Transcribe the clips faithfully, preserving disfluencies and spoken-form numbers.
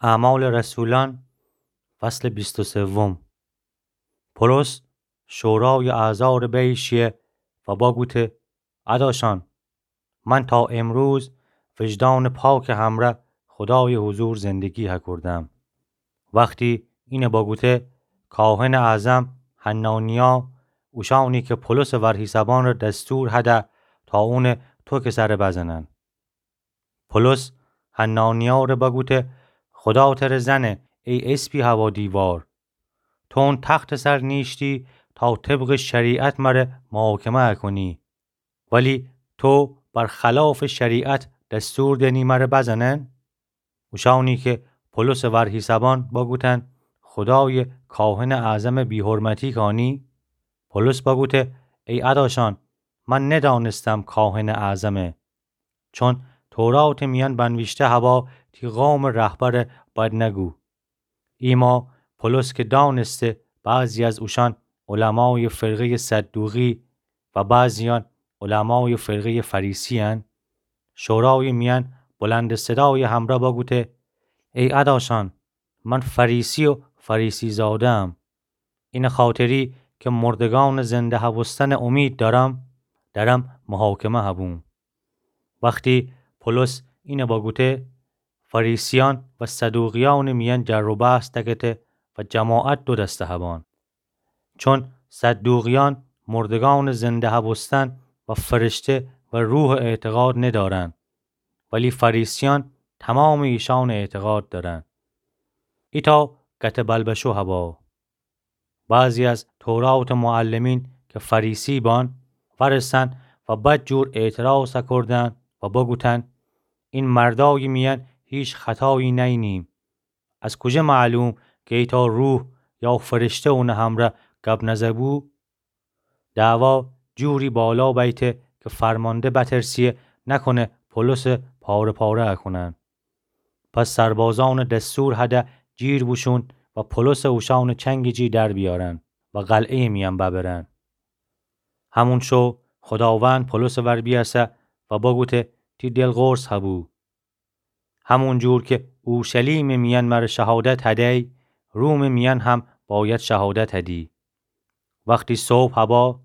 اعمال رسولان، فصل بیست و سوم. پولس شورای اعضا ره بیأیه شیه و بگوته: اداشان، من تا امروز وجدان پاک همره خدای حضور زندگی هکردم. وختی اینه بگوته، کاهن اعظم حنانیا اوشانی که پولس ورهیسبان ره دستور هده تا اونه توکه سره بزنن. پولس حنانیا ره بگوته: خدا تره زنه، ای اسپی هوا دیوار. تو اون تخت سر نیشتی تا طبق شریعت مره محاکمه کنی، ولی تو بر خلاف شریعت دستور دنی مره بزنن؟ اوشانی که پولس ورهیسبان بگوتن: خدای کاهن اعظم بی‌حرمتی کانی؟ پولس بگوته: ای اداشان، من ندانستم کاهن اعظمه، چون تورات میان بنویشته هوا تی قوم رهبر بد نگو. ایما پولس که دانسته بعضی از اوشان علمای فرقهٔ صدوقی و بعضیان علمای فرقهٔ فریسی‌ان، شورای میان بلند صدای همره بگوته: ای اداشان، من فریسی و فریسی زاده‌ام. اینه خاطری که مردگان زنده هبوستن امید دارم، درم محاکمه هبوم. وختی پولس اینه بگوته، فریسیان و صدوقیان میان جر و بحث دکته و جماعت دو دسته هبان. چون صدوقیان مردگان زنده هبوستن و فرشته و روح اعتقاد ندارن، ولی فریسیان تمام ایشان اعتقاد دارن. ایتا گته بلبشو هبا. بعضی از تورات معلمین که فریسی بان، ورسن و بدجور اعتراض کردن و بگوتن: این مردای میان هیچ خطایی نینیم. از کجه معلوم که ایتا روح یا فرشته اونه همره گپ نزه بو؟ دعوا جوری بالا بیته که فرمانده بترسیه نکنه پولس پاره پاره کنن. پس سربازان دستور هده جیر بوشون و پولس اوشان چنگ جی در بیارن و قلعه میان ببرن. همون شو خداوند پولس ور بیاسه و بگوته: تی دل قرص هبو. همون جور که اورشلیم میان مره شهادت هدی، روم میان هم باید شهادت هدی. وختی صبح هبا،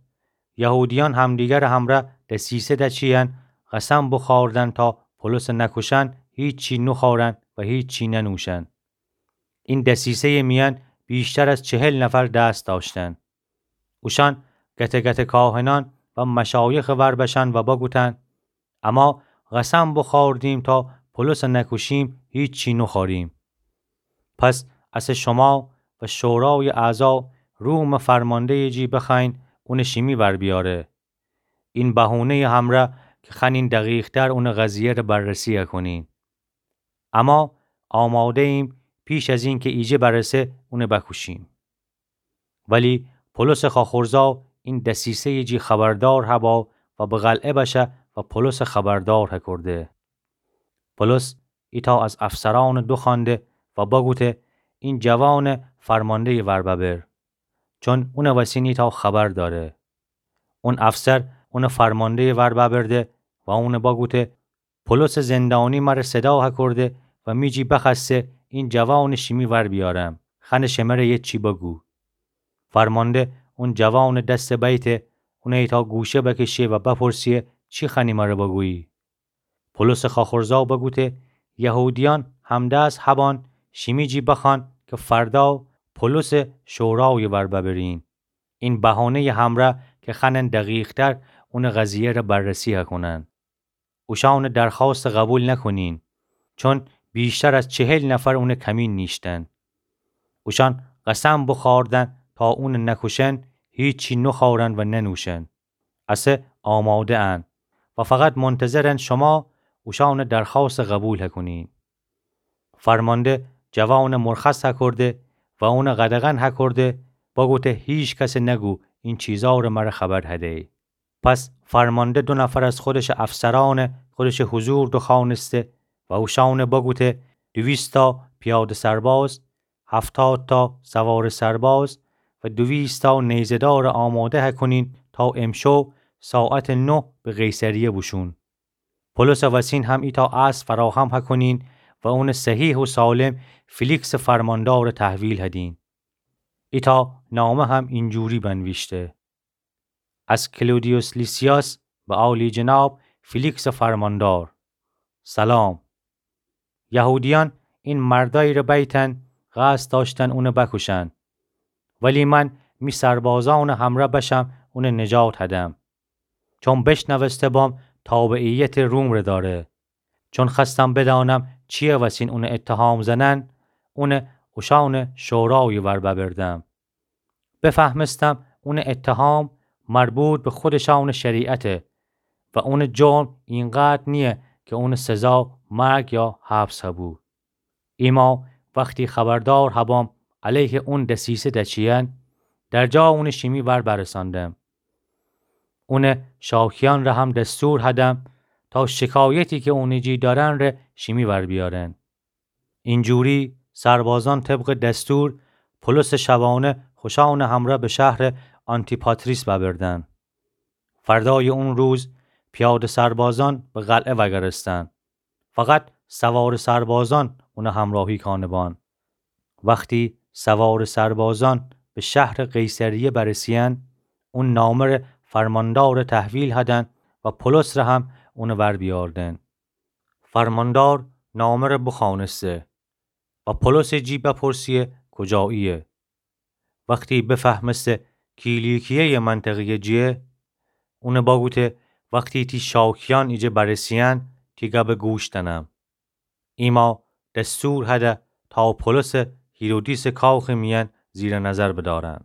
یهودیان همدیگر همره دسیسه دچیدن، قسم بخوردن تا پولس نکشن، هیچی نخورن و هیچی ننوشن. این دسیسهٔ میان بیشتر از چهل نفر دست داشتن. اوشان گته گته کاهنان و مشایخ ور بشن و بگوتن: اما قسم بخوردیم تا پولس نکشیم، هیچی نخوریم. پس اسه شما و شورای اعضا روم فرماندهٔ جی بخوأیین اون شیمی ور بیاره. این بهونهٔ همره که خوأنین دقیق‌تر اون قضیه ره بررسی کنین. اما آماده‌ایم پیش از این که ایجه برسه اون بکوشیم. ولی پولس خاخورزا این دسیسهٔ جی خبردار هبا و به قلعه بشه و پولس خبردار هکرده. پولس ایتا از افسران دو خوأنده و بگوته: این جوان فرماندهٔ ور ببر، چون اون وسین ایتا خبر داره. اون افسر اون فرماندهٔ ور ببرده و اون بگوته: پولس زندانی مره صدا هکرده و می جی بخوأسته این جوان شیمی ور بیارم، خوأنه شمره یه چی بگو. فرمانده اون جوان دست بیته، اون ایتا گوشه بکشه و بپرسیه: چی خوأنی مره بگویی؟ پولس خاخورزا بگوته: یهودیان همدست هبان شیمی جی بخوأن که فردا پولس شورای ور ببرین. این بهانهٔ همره که خوأنن دقیق‌تر اون قضیه ره بررسی هکنن. اوشان درخواست قبول نکنین، چون بیشتر از چهل نفر اون کمین نیشتن. اوشان قسم بخوردن تا اون نکشن، هیچی نخورن و ننوشن. اسه آماده ان و فقط منتظرن شما اوشان درخواست قبول هکنین. فرمانده جوان مرخص هکرده و اون قدغن هکرده، بگوته: هیچ کس نگو این چیزا ره مره خبر هدی. پس فرمانده دو نفر از خودش افسران خودش حضور دخوانسته و اوشان بگوته: دویست تا پیاده سرباز، هفتاد تا سوار سرباز و دویست تا نیزه‌دار آماده هکنین تا امشو ساعت نه به قیصریه بوشون. پولس وسین هم ایتا اسب فراهم هکنین و اونٚ صحیح و سالم فیلیکسٚ فرماندارٚ تحویل هدین. ایتأ نامه هم اینجوری بنویشته: از کلودیوس لیسیاس به عالی‌جناب فیلیکسٚ فرماندار. سلام. یهودیأن این مردأیی ره بیتن، قصد دأشتن اونٚ بکوشن. ولی من می سربازأنٚ همرأ بشم اونٚ نجات هدم. چون بشنوسته بام تابعیتٚ روم ره دأره. چون خوأستم بدأنم چیه وسین اونٚ اتهام زنن، اونٚ اوشأنٚ شورایٚ ور ببردم. بفهمستم اونٚ اتهام مربوط به خودشأنٚ شریعته و اونٚ جرم اینقدر نییه که اونٚ سزا مرگ یا حبس هبو. ایما وختی خبردار هبام علیه اون دسیسه دچیین، در جا اونٚ شیمی ور برساندم. اونٚ شاکیأن ره هم دستور هدم تا شکایتی که اونٚ جی دأرن ره شیمی ور بیأرن. اینجوری سربازأن طبقٚ دستور پولسٚ شبانه خوشأنٚ همرأ به شهرٚ آنتیپاتریس ببردن. فردایٚ اون روز پیاده سربازأن به قلعه وگرستن. فقط سوارٚ سربازأن اونٚ همراهی کانه بان. وختی سوارٚ سربازأن به شهرٚ قیصریه برسیین، اون نامه ره فرماندار ره تحویل هدن و پولس ره هم اونٚ ور بیأردن. فرماندار نامه ره بخوأنسته و پولسٚ جی بپرسیه کجاییه. وختی بفهمسته کیلیکیه‌یٚ منطقه‌یٚ جیه، اون بگوته وختی تی شاکیأن ایجه برسیین، تی گبٚ گوش دأنم. ایما دستور هده تا پولس هیرودیسٚ کاخٚ میأن زیر نظر بدأرن.